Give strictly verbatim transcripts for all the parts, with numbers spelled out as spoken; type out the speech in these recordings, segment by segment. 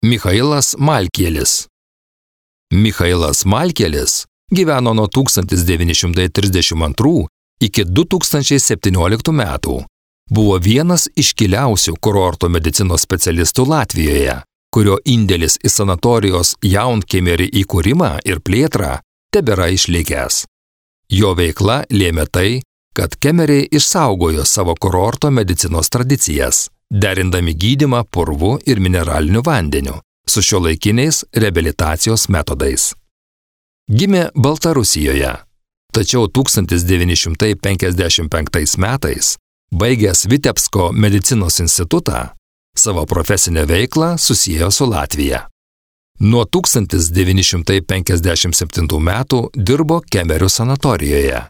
Michailas Malkielis. Michailas Malkielis gyveno nuo tūkstantis devyni šimtai trisdešimt antrų iki du tūkstančiai septynioliktų metų. Buvo vienas iškiliausių kurorto medicinos specialistų Latvijoje, kurio indėlis į sanatorijos Jaunkemerį įkūrimą ir plėtrą tebėra išlikęs. Jo veikla lėmė tai, kad Kemeriai išsaugojo savo kurorto medicinos tradicijas, derindami gydymą purvu ir mineraliniu vandeniu su šiuolaikiniais reabilitacijos metodais. Gimė Baltarusijoje, tačiau tūkstantis devyni šimtai penkiasdešimt penktais metais, baigęs Vitebsko medicinos institutą, savo profesinę veiklą susiejo su Latvija. Nuo tūkstantis devyni šimtai penkiasdešimt septintų metų dirbo Kemerio sanatorijoje,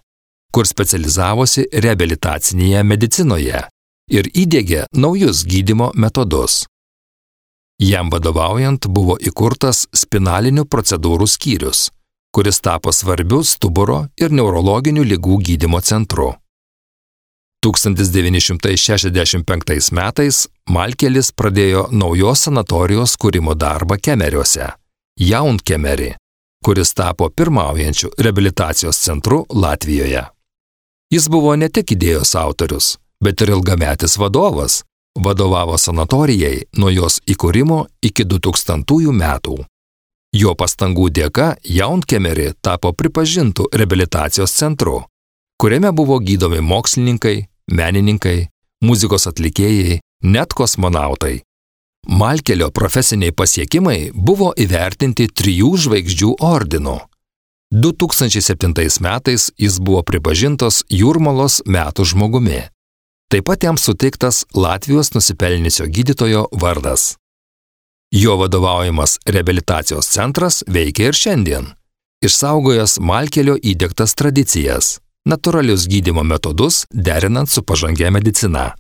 kur specializavosi reabilitacinėje medicinoje ir įdiegė naujus gydymo metodus. Jam vadovaujant buvo įkurtas spinalinių procedūrų skyrius, kuris tapo svarbiu stuburo ir neurologinių ligų gydymo centru. tūkstantis devyni šimtai šešiasdešimt penktais metais Malkielis pradėjo naujos sanatorijos kūrimo darbą Kemeriuose, Jaunkemerį, kuris tapo pirmaujančiu reabilitacijos centru Latvijoje. Jis buvo ne tik idėjos autorius, bet ir ilgametis vadovas, vadovavo sanatorijai nuo jos įkūrimo iki du tūkstantųjų metų. Jo pastangų dėka Jaunkemerį tapo pripažintų reabilitacijos centru, kuriame buvo gydomi mokslininkai, menininkai, muzikos atlikėjai, net kosmonautai. Malkielio profesiniai pasiekimai buvo įvertinti trijų žvaigždžių ordinu. du tūkstančiai septintais metais jis buvo pripažintas Jūrmalos metų žmogumi. Taip pat jam suteiktas Latvijos nusipelniusio gydytojo vardas. Jo vadovaujamas reabilitacijos centras veikia ir šiandien, išsaugojęs Malkielio įdiegtas tradicijas, natūralius gydymo metodus derinant su pažangia medicina.